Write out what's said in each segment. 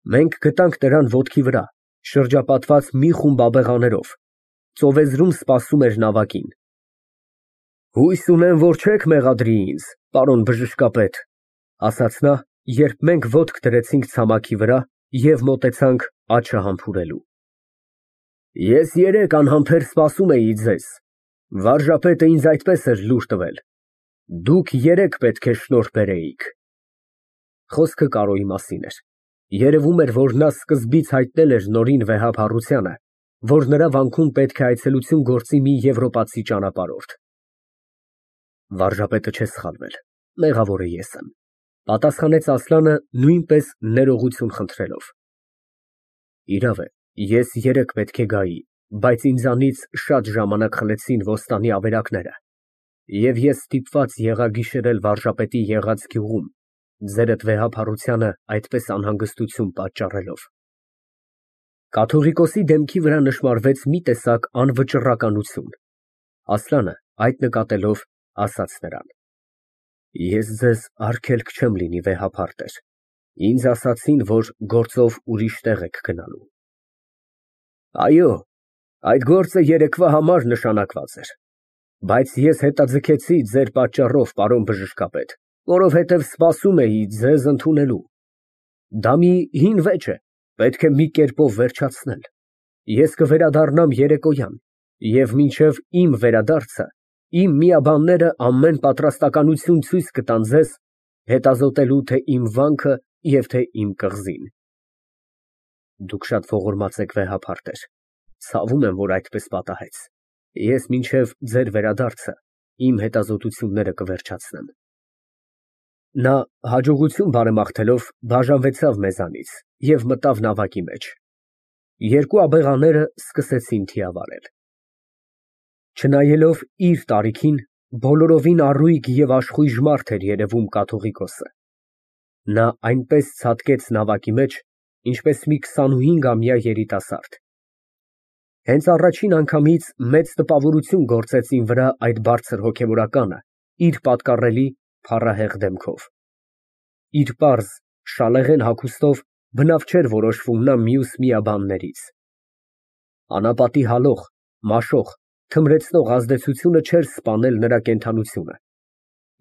Մենք գտանք նրան ոտքի վրա, շրջապատված մի խումբ աբեղաներով, ծովեզրում սպասում էր նավակին։ Հույս ունեմ, որ չեք մեղադրի ինձ, պարոն բժշկապետ, ասաց նա, երբ մենք ոտք դրեցինք ցամաքի վրա և մոտեցանք աջը համբուրելու։ Ես 3 անհամբեր սպասում էի ձեզ, վարժապետը ինձ այդպես էր լուր տվել, դուք 3 պետք է շնորհ բերեիք։ Խոսքը Կարոյի մասին էր։ Երևում էր, որ նա սկզբից հայտնել էր Նորին վեհափառությանը, որ նրա վանքում պետք է այցելություն գործի մի եվրոպացի ճանապարհորդ։ Վարժապետը չէ սխալվել, մեղավորը ես եմ, պատասխանեց Ասլանը նույնպես ներողություն խնդրելով։ Իրավ է, ես 3 պետք է գայի, բայց ինձանից շատ ժամանակ խլեցին ոստանի ավերակները, և ես ստիպված եղա գիշերել վարժապետի եղած գյուղում, ձերդ վեհափառությանը այդպես անհանգստություն պատճառելով։ Կաթողիկոսի դեմքի վրա նշմարվեց մի տեսակ անվճռականություն։ Ասլանը, այդ նկատելով, ասաց նրան. Ես ձեզ արգելք չեմ լինի, վեհափառ տեր, ինձ ասացին, որ գործով ուրիշ տեղ եք գնալու։ Այո, այդ գործը երեկվա համար նշանակված էր, բայց ես հետաձգեցի ձեր պատճառով, պարոն բժշկապետ, որովհետև սպասում էի ձեզ ընդունելու։ Դա մի հին վեճ է, պետք է մի կերպով վերջացնել։ Ես կվերադառնամ երեկոյան, և մինչև իմ վերադարձը իմ միաբանները ամեն պատրաստականություն ցույց կտան ձեզ, հետազոտելու թե իմ վանքը և թե իմ կղզին։ Դուք շատ ողորմած եք, վեհափառ տեր, ցավում եմ, որ այդպես պատահեց։ Ես մինչև ձեր վերադարձը իմ հետազոտությունները կվերջացնեմ։ Նա հաջողություն բարեմաղթելով բաժանվեցավ մեզանից և մտավ նավակի մեջ։ 2 աբեղաները սկսեցին թիավարել։ Չնայելով իր տարիքին, բոլորովին առույգ և աշխույժ մարդ էր երևում կաթողիկոսը։ Նա այնպես ցատկեց նավակի մեջ, ինչպես մի 25-ամյա երիտասարդ։ Հենց առաջին անգամից մեծ տպավորություն գործեց իմ վրա այդ բարձր հոգևորականը իր պատկառելի, փառահեղ դեմքով։ Իր պարզ, շալեղեն հագուստով բնավ չէր որոշվում նա մյուս միաբաններից։ Անապատի հալող, մաշող, թմրեցնող ազդեցությունը չէր սպանել նրա կենդանությունը,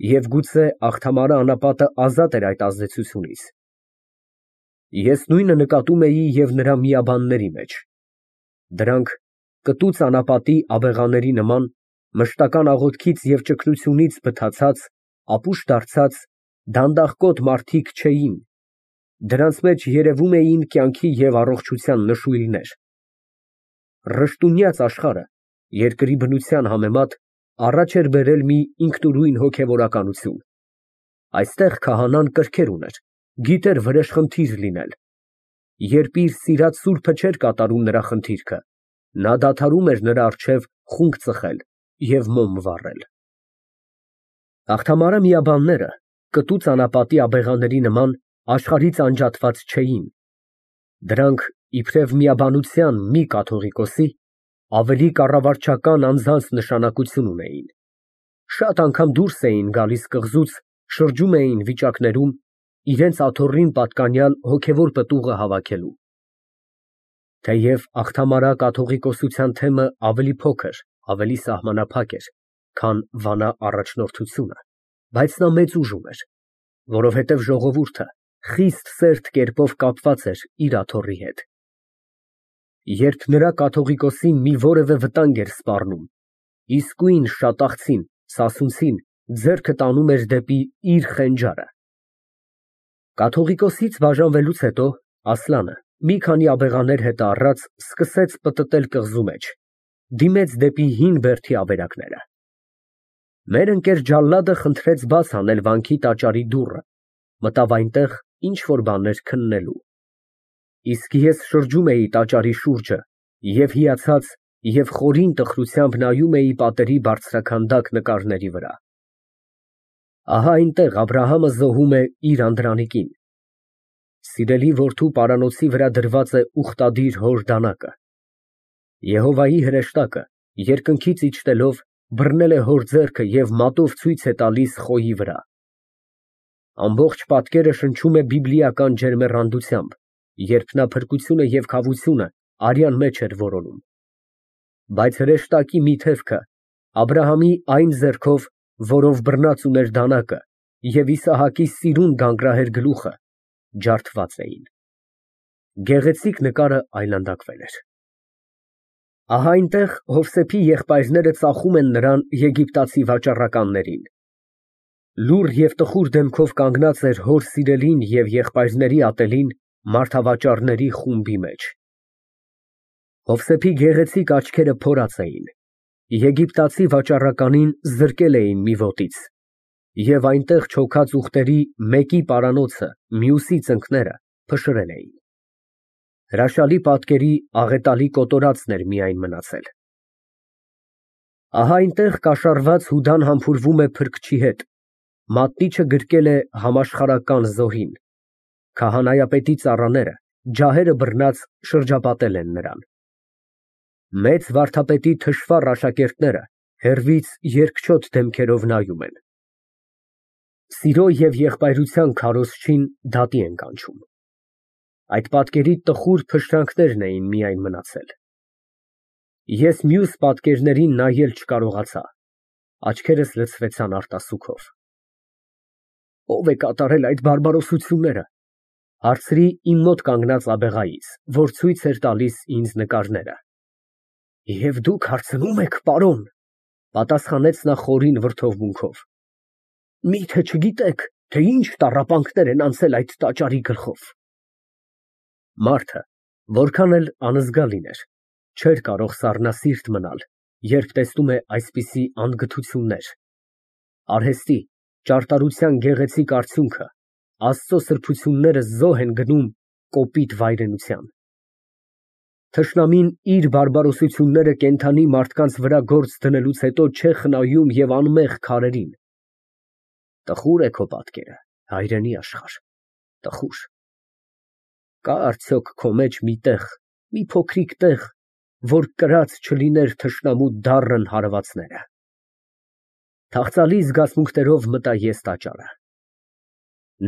և գուցե աղթամարը անապատը ազատ էր այդ ազդեցությունից։ Ես նույնը նկատում էի և նրա միաբանների մեջ։ Դրանք կտուց անապատի աբեղաների նման, մշտական աղոթքից և ճգնությունից բթացած, ապուշ դարձած, դանդաղկոտ մարդիկ չէին, դրանց մեջ երևում էին կյանքի և առողջության նշույլներ։ Ռշտունյաց աշխարհը, երկրի բնության համեմատ, առաջ էր բերել մի ինքնուրույն հոգևորականություն։ Այստեղ քահանան կրքեր ուներ, գիտեր վրեժխնդիր լինել։ Երբ իր սիրած սուրբը չէր կատարում նրա խնդիրքը, նա դադարում էր նրա առջև խունկ ծխել և մոմ վառել։ Աղթամարը միաբանները, կտուց անապատի աբեղաների նման, աշխարհից անջատված չէին։ Դրանք, իբրև միաբանության մի կաթողիկոսի, ավելի կառավարչական անձանց նշանակություն ունեին։ Շատ անգամ դուրս էին գալիս կղզուց, շրջում էին վիճակներում, իրենց աթոռին պատկանյալ հոգևոր պտուղը հավաքելու։ Թեև աղթամարա կաթողիկոսության թեմը ավելի փոքր, ավելի սահմանափակ էր, քան վանա առաջնորդությունը, բայց նա մեծ ուժ ուներ, որովհետև ժողովուրդը խիստ սերտ կերպով կապված էր իր աթոռի հետ։ Երբ նրա կաթողիկոսին մի որևէ վտանգ էր սպառնում, իսկույն շատախցին, սասունցին ձեռքը տանում էր դեպի իր խենջարը։ Կաթողիկոսից բաժանվելուց հետո Ասլանը, մի քանի աբեղաներ հետը առած, սկսեց պտտել կղզու մեջ, դիմեց դեպի հին բերդի ավերակները։ Մեր ընկեր ջալլադը խնդրեց բաց անել վանքի տաճարի դուռը, մտավ այնտեղ ինչ֊որ բաներ քննելու։ Իսկ ես շրջում էի տաճարի շուրջը և հիացած և խորին տխրությամբ նայում էի պատերի բարձրաքանդակ նկարների վրա։ Ահա այնտեղ Աբրահամը զոհում է իր անդրանիկին։ Սիրելի որդու պարանոցի վրա դրված է ուխտադիր հոր դանակը։ Եհովայի հրեշտակը, երկնքից իջնելով, բռնել է հոր ձեռքը և մատով ցույց է տալիս խոյի վրա։ Ամբողջ պատկերը շնչում է բիբլիական ջերմեռանդությամբ երբ նա փրկությունը և քավությունը արյան մեջ էր որոնում։ Բայց հրեշտակի մի թևքը Աբրահամի այն ձեռքով, որով բռնած ուներ դանակը, և Իսահակի սիրուն գանգրահեր գլուխը ջարդված էին։ Գեղեցիկ նկարը այլանդակվել էր։ Ահա այնտեղ Հովսեփի եղբայրները ծախում են նրան եգիպտացի վաճառականներին։ Լուռ և տխուր դեմքով կանգնած էր հոր սիրելին և եղբայրների ատելին մարդավաճառների խումբի մեջ։ Հովսեփի գեղեցիկ աչքերը փորած էին, եգիպտացի վաճառականին զրկել էին մի ոտից, և այնտեղ չոքած ուղտերի մեկի պարանոցը, մյուսի ծնկները փշրել էին։ Հրաշալի պատկերի աղետալի կոտորածն էր միայն մնացել։ Ահա այնտեղ կաշառված Հուդան համբուրվում է փրկչի հետ, մատնիչը գրկել է համաշխարհական զոհին, քահանայապետի ծառաները, ջահերը բռնած շրջապատել են նրան։ Մեծ վարդապետի թշվառ աշակերտները հեռվից երկչոտ դեմքերով նայում են։ Սիրո և եղբայրության քարոզչին դատի են կանչում։ Այդ պատկերի տխուր փշրանքներն էին միայն մնացել։ Ես մյուս պատկերներին նայել չկարողացա, աչքերս լցվեցան արտասուքով։ Ո՞վ է կատարել այդ բարբարոսությունները, հարցրի իմ մոտ կանգնած աբեղայից, որ ցույց էր տալիս ինձ նկարները։ Եվ դուք հարցնում եք, պարոն, պատասխանեց նա խորին վրդովմունքով, միթե չգիտեք, թե ինչ տառապանքներ են անցել այդ տաճարի գլխով։ Մարդը, որքան էլ անզգա լիներ, չէր կարող սառնասիրտ մնալ, երբ տեսնում է այսպիսի անգթություններ։ Արհեստի, ճարտարության գեղեցիկ արդյունքը, Աստծո սրբությունները զոհ են գնում կոպիտ վայրենության։ Թշնամին իր բարբարոսությունները կենդանի մարդկանց վրա գործ դնելուց հետո չէ խնայում և անմեղ քարերին։ Տխուր է քո պատկերը, հայրենի աշխարհ, տխուր։ Կա արդյոք քո մեջ մի տեղ, մի փոքրիկ տեղ, որ կրած չլիներ թշնամու դառն հարվածները։ Թախծալի զգացմունքներով մտա ես տաճարը։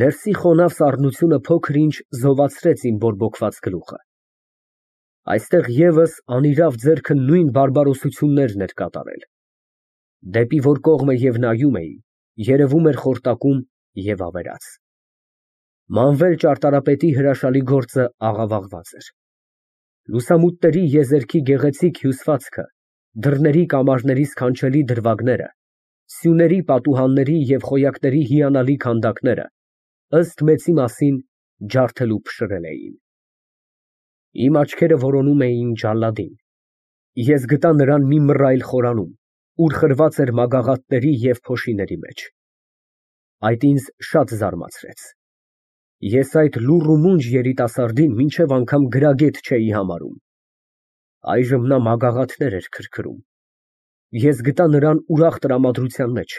Ներսի խոնավ սառնությունը փոքր-ինչ զովացրեց իմ բորբոքված գլուխը։ Այստեղ ևս անիրավ ձեռքը նույն բարբարոսություններն էր կատարել։ Դեպի որ կողմը և նայում էի, երևում էր խորտակում և ավերած։ Մանվել ճարտարապետի հրաշալի գործը աղավաղված էր։ Լուսամուտների եզերքի գեղեցիկ հյուսվածքը, դռների կամարների սքանչելի դրվագները, սյուների պատուհանների և խոյակների հիանալի քանդակները, ըստ մեծի մասին, ջարդել ու փշրել էին։ Իմ աչքերը որոնում էին ջալադին։ Ես գտա նրան մի մռայլ խորանում, ուր խրված էր մագաղաթների և փոշիների մեջ։ Այդ ինձ շատ զարմացրեց։ Ես այդ լուռ ու մունջ երիտասարդին մինչև անգամ գրագետ չէի համարում։ Այժմ նա մագաղաթներ էր քրքրում։ Ես գտա նրան ուրախ տրամադրության մեջ,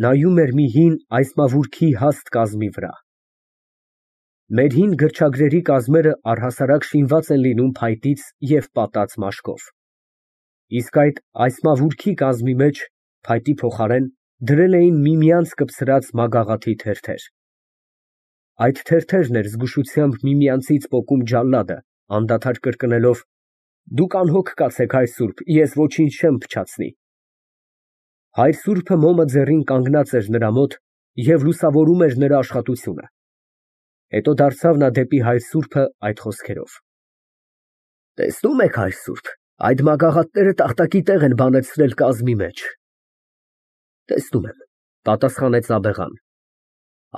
նայում էր մի հին այսմավուրգի հաստ կազմի վրա։ Մեր հին գրչագրերի կազմերը առհասարակ շինված են լինում փայտից և պատած մաշկով, իսկ այդ այսմավուրգի կազմի մեջ, փայտի փոխարեն, դրել էին միմյանց կպցրած մագաղաթի թերթեր։ Այդ թերթերն էր զգուշությամբ միմյանցից պոկում ջալադը, անդադար կրկնելով. «Դուք անհոգ կացեք, հայր սուրբ, ես ոչինչ չեմ փչացնի»։ Հայր սուրբը մոմը ձեռին կանգնած էր նրա մոտ և լուսավորում էր նրա աշխատությունը։ Հետո դարձավ նա դեպի հայր սուրբը այդ խոսքերով. «Տեսնում եք, հայր սուրբ, այդ մագաղաթները տախտակի տեղ են բանեցրել կազմի մեջ»։ Տեսնում եմ, պատասխանեց աբեղան։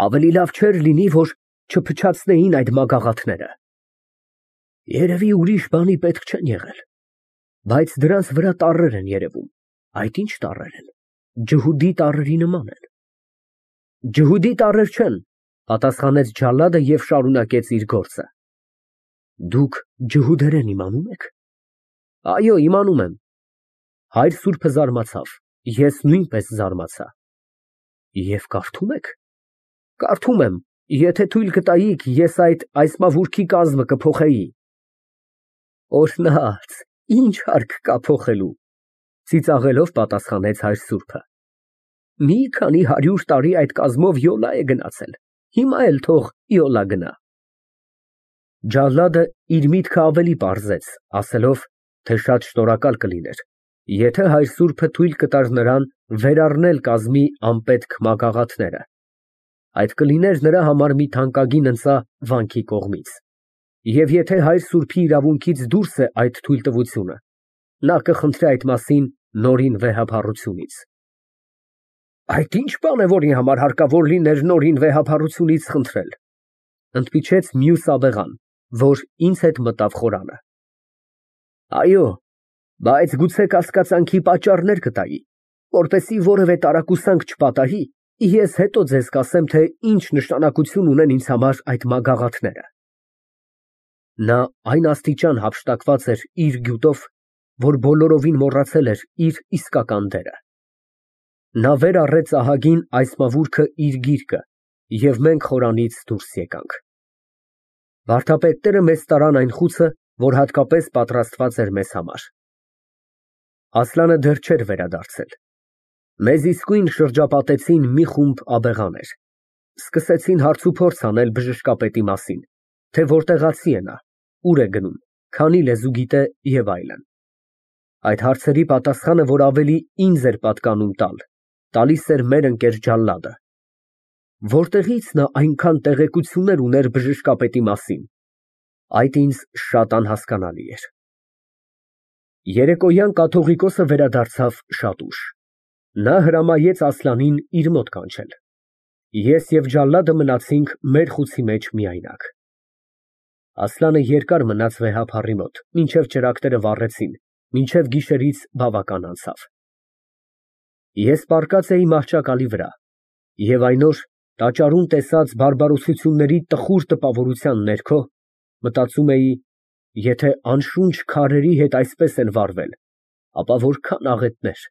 Ավելի լավ չէր լինի, որ չփչացնեին այդ մագաղաթները։ Երևի ուրիշ բանի պետք չեն եղել, բայց դրանց վրա տառեր են երևում։ Այդ ի՞նչ տառեր են, ջհուդի տառերի նման են։ Ջհուդի տառեր չեն, պատասխանեց ջալադը և շարունակեց իր գործը։ Դուք ջհուդերեն իմանում եք։ Այո, իմանում եմ։ Հայր սուրբը զարմացավ, ես նույնպես զարմացա։ Եվ կարդում եք։ Կարդում եմ, եթե թույլ կտայիք, ես այդ այսմավուրգի կազմը կփոխեի։ Օրհնած, ինչ հարկ կա փոխելու, ծիծաղելով պատասխանեց հայր սուրբը։ Մի քանի 100 տարի այդ կազմով յոլա է գնացել, հիմա էլ թող յոլա գնա։ Ջալլադը իր միտքը ավելի պարզեց, ասելով, թե շատ շնորհակալ կլիներ, եթե հայր սուրբը թույլ կտար նրան վերառնել կազմի անպետք մագաղաթները. այդ կլիներ նրա համար մի թանկագին ընծա վանքի կողմից, և եթե հայր սուրբի իրավունքից դուրս է այդ թույլտվությունը, նա կխնդրի այդ մասին նորին վեհափառությունից։ Այդ ի՞նչ բան է, որի համար հարկավոր լիներ նորին վեհափառությունից խնդրել, ընդմիջեց մյուս աբեղան, որ ինձ հետ մտավ խորանը։ Այո, բայց գուցե կասկածանքի պատճառներ կտայի, որպեսզի որևէ տարակուսանք չպատահի, ես հետո ձեզ կասեմ, թե ինչ նշանակություն ունեն ինձ համար այդ մագաղաթները։ Նա այն աստիճան հափշտակված էր իր գյուտով, որ բոլորովին մոռացել էր իր իսկական դերը։ Նա վեր առեց ահագին այս մավուրքը իր գիրկը, և մենք խորանից դուրս եկանք։ Վարդապետները մեզ տարան այն խուցը, որ հատկապես պատրաստված էր մեզ համար։ Ասլանը դեռ չէր վերադարձել։ Մեզ իսկույն շրջապատեցին մի խումբ աբեղաներ։ Սկսեցին հարցուփորձ անել բժշկապետի մասին, թե որտեղացի է նա, ուր է գնում, քանի լեզու գիտե և այլն։ Այդ հարցերի պատասխանը, որ ավելի ինձ էր պատկանում տալ, տալիս էր մեր ընկեր Ջալլադը։ Որտեղից նա այնքան տեղեկություններ ուներ բժշկապետի մասին, այդ ինձ շատ անհասկանալի էր։ Երեկոյան կաթողիկոսը վերադարձավ շատ ուշ։ Նա հրամայեց Ասլանին իր մոտ կանչել։ Ես և Ջալլադը մնացինք մեր խուցի մեջ միայնակ։ Ասլանը երկար մնաց վեհափառի մոտ, մինչև ճրագները վառեցին, մինչև գիշերից բավական անցավ։ Ես պառկած էի մահճակալի վրա, և այն օր տաճարում տեսած բարբարոսությունների տխուր տպավորության ներքո մտածում էի, եթե անշունչ քարերի հետ այսպես են վարվել, ապա որքան աղետներ,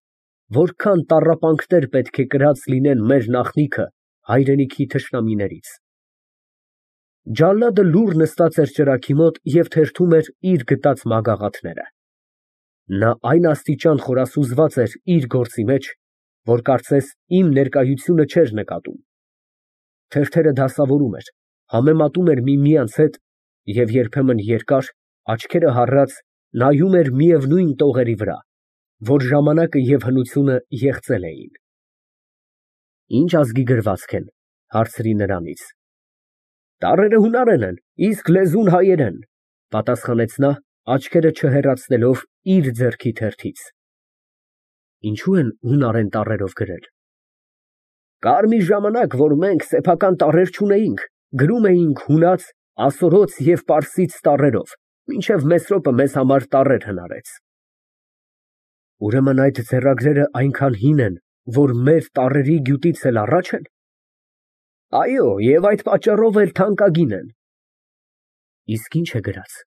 որքան տառապանքներ պետք է կրած լինեն մեր նախնիքը հայրենիքի թշնամիներից։ Ջալլադը լուռ նստած էր ճրագի մոտ և թերթում էր իր գտած մագաղաթները։ Նա այն աստիճան խորասուզված էր իր գործի մեջ, որ կարծես իմ ներկայությունը չէր նկատում։ Թերթերը դասավորում էր, համեմատում էր միմյանց հետ և երբեմն երկար, աչքերը հառած, նայում էր միևնույն տողերի վրա, որ ժամանակը և հնությունը եղծել էին։ Ինչ ազգի գրվածք են, հարցրի նրանից։ Տառերը հունարեն են, իսկ լեզուն հայերեն, պատասխանեց նա, աչքերը չհեռացնելով իր ձեռքի թերթից։ Ինչո՞ւ են հունարեն տառերով գրել։ Կար մի ժամանակ, որ մենք սեփական տառեր չունեինք, գրում էինք հունաց, ասորոց և պարսից տառերով, մինչև Մեսրոպը մեզ համար տառեր հնարեց։ Ուրեմն այդ ձեռագրերը այնքան հին են, որ մեր տառերի գյուտից էլ առաջ են։ Այո, և այդ պատճառով էլ թանկագին են։ Իսկ ինչ է գրած։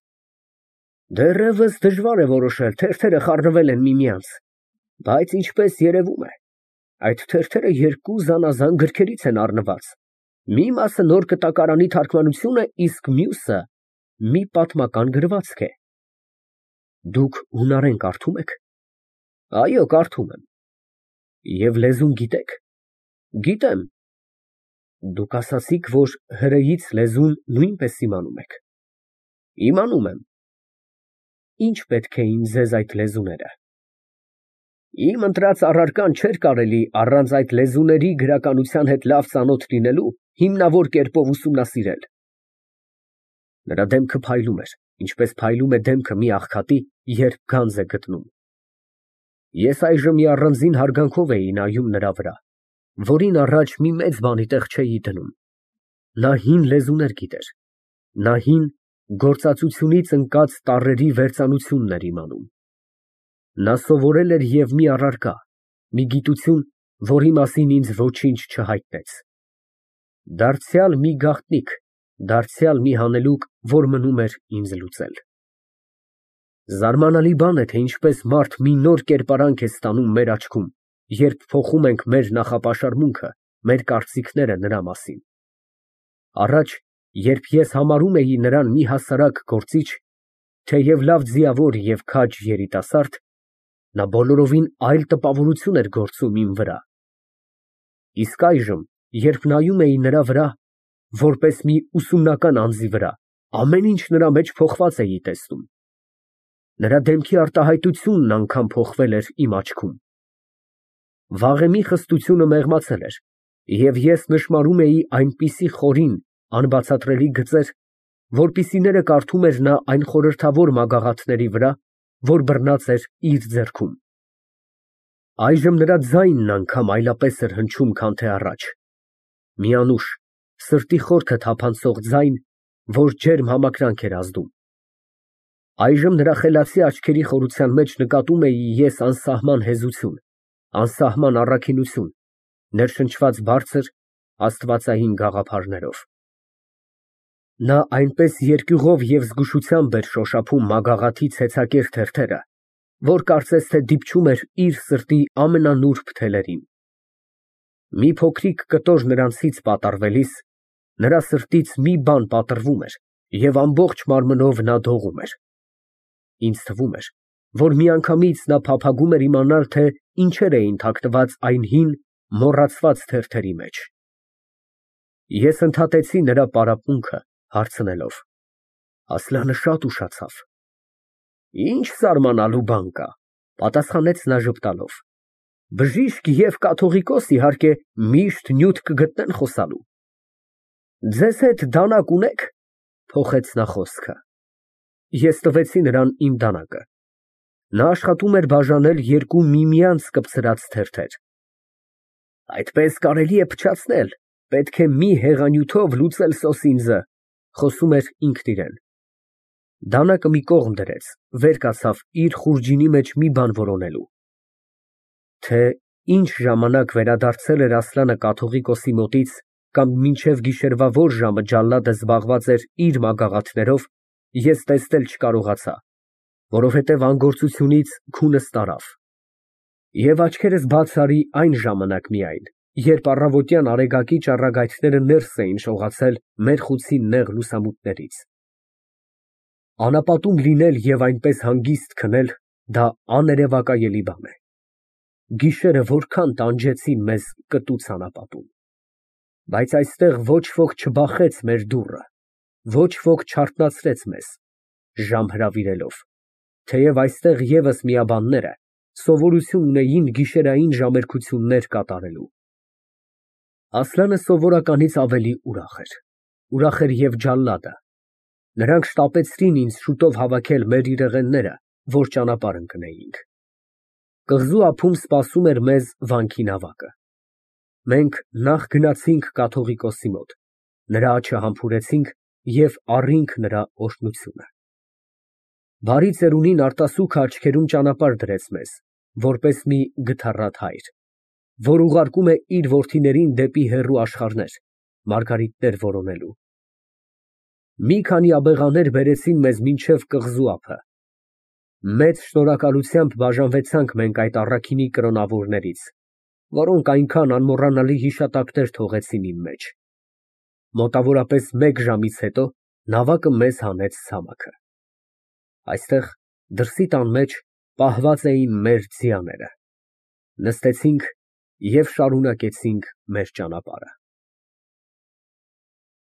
Դեռևս դժվար է որոշել, թերթերը խառնվել են միմյանց, բայց ինչպես երևում է, այդ թերթերը երկու զանազան գրքերից են առնված, մի մասը նոր կտակարանի թարգմանություն է, իսկ մյուսը մի պատմական գրվածք է։ Դուք հունարեն կարդում եք։ Այո, կարդում եմ։ Եվ լեզուն գիտեք։ Գիտեմ։ Դուք ասացիք, որ հրեից լեզուն նույնպես իմանում եք։ Իմանում եմ։ Ինչ պետք էին ձեզ այդ լեզուները։ Իմ ընտրած առարկան չէր կարելի առանց այդ լեզուների գրականության հետ լավ ծանոթ լինելու հիմնավոր կերպով ուսումնասիրել։ Նրա դեմքը փայլում էր, ինչպես փայլում է դեմքը մի աղքատի, երբ գանձ է գտնում։ Ես այժմ մի առանձին հարգանքով էի նայում նրա վրա, որին առաջ մի մեծ բանի տեղ չէի դնում։ Նա հին լեզուներ գիտեր։ Նա հին գործածությունից ընկած տառերի վերծանությունն էր իմանում։ Նա սովորել էր և մի առարկա, մի գիտություն, որի մասին ինձ ոչինչ չհայտնեց։ Դարձյալ մի գաղտնիք, դարձյալ մի հանելուկ, որ մնում էր ինձ լուծել։ Զարմանալի բան է, թե ինչպես մարդ մի նոր կերպարանք է ստանում մեր աչքում, երբ փոխում ենք մեր նախապաշարմունքը, մեր կարծիքները նրա մասին։ Առաջ, երբ ես համարում էի նրան մի հասարակ գործիչ, թեև լավ ձիավոր և քաջ երիտասարդ, նա բոլորովին այլ տպավորություն էր գործում իմ վրա։ Իսկ այժմ, երբ նայում էի նրա վրա, որպես մի ուսումնական անձի վրա, Ամեն ինչ նրա մեջ փոխված էի տեսնում։ Նրա դեմքի արտահայտությունն անգամ փոխվել էր իմ աչքում։ Վաղեմի խստությունը մեղմացել էր, և ես նշմարում էի այնպիսի խորին, անբացատրելի գծեր, որպիսիները կարդում էր նա այն խորհրդավոր մագաղաթների վրա, որ բռնած էր իր ձեռքում։ Այժմ նրա ձայնն անգամ այլապես էր հնչում, քան թե առաջ, մի անուշ, սրտի խորքը թափանցող ձայն, որ ջերմ համակրանք էր ազդում։ Այժմ նրա խելացի աչքերի խորության մեջ նկատում էի ես անսահման հեզություն, անսահման առաքինություն, ներշնչված բարձր, աստվածային գաղափարներով։ Նա այնպես երկյուղով և զգուշությամբ էր շոշափում մագաղաթի ցեցակեր թերթերը, որ կարծես թե դիպչում էր իր սրտի ամենանուրբ թելերին։ Մի փոքրիկ կտոր նրանցից պատառվելիս, նրա սրտից մի բան պատռվում էր, և ամբողջ մարմնով նա դողում էր։ Ինձ թվում էր, որ միանգամից նա փափագում էր իմանալ, թե ինչեր էին թաքնված այն հին, մոռացված թերթերի մեջ։ Ես ընդհատեցի նրա պարապմունքը, հարցնելով. Ասլանը շատ ուշացավ։ Ինչ զարմանալու բան կա, պատասխանեց նա ժպտալով։ Բժիշկ և կաթողիկոս, իհարկե, միշտ նյութ կգտնեն խոսալու։ Ձեզ հետ դանակ ունե՞ք, փոխեց նա խոսքը։ Ես տվեցի նրան իմ դանակը։ Նա աշխատում էր բաժանել երկու միմյանց կպցրած թերթեր։ Այդպես կարելի է փչացնել, պետք է մի հեղանյութով լուծել սոսինձը, խոսում էր ինքն իրան։ Դանակը մի կողմ դրեց, վեր կացավ իր խուրջինի մեջ մի բան որոնելու։ Թե ինչ ժամանակ վերադարձել էր Ասլանը կաթողիկոսի մոտից կամ մինչև գիշերվա որ ժամը ջալլադը զբաղված էր իր մագաղաթներով, ես տեսնել չկարողացա, որովհետև անգործությունից քունս տարավ։ Եվ աչքերս բաց արի այն ժամանակ միայն, երբ առավոտյան արեգակի ճառագայթները ներս էին շողացել մեր խուցի նեղ լուսամուտներից։ Անապատում լինել և այնպես հանգիստ քնել, դա աներևակայելի բան է։ Գիշերը որքան տանջեցին մեզ կտուց անապատում։ Բայց այստեղ ոչ ոք չբախեց մեր դուռը, ոչ ոք չարթնացրեց մեզ, ժամ հրավիրելով, թեև այստեղ ևս միաբանները սովորություն ունեին գիշերային ժամերգություններ կատարելու։ Ասլանը սովորականից ավելի ուրախ էր և ջալլադը։ Նրանք շտապեցրին ինձ շուտով հավաքել մեր իրեղենները, որ ճանապարհ ընկնեինք։ Կղզու ափում սպասում էր մեզ վանքի նավակը։ Մենք նախ գնացինք կաթողիկոսի մոտ, նրա աջը համբուրեցինք և առինք նրա օրհնությունը։ Բարի ծերունին արտասուքը աչքերում ճանապարհ դրեց մեզ, որպես մի գթառատ հայր, որ ուղարկում է իր որդիներին դեպի հեռու աշխարհներ, մարգարիտներ որոնելու։ Մի քանի աբեղաներ բերեցին մեզ մինչև կղզու ափը։ Մեծ շնորհակալությամբ բաժանվեցանք մենք այդ առաքինի կրոնավորներից, որոնք այնքան անմոռանալի հիշատակներ թողեցին իմ մեջ։ Մոտավորապես մեկ ժամից հետո նավակը մեզ հանեց ցամաքը։ Այստեղ դրսի տան մեջ պահված էին մեր ձիաները։ Նստեցինք և շարունակեցինք մեր ճանապարհը։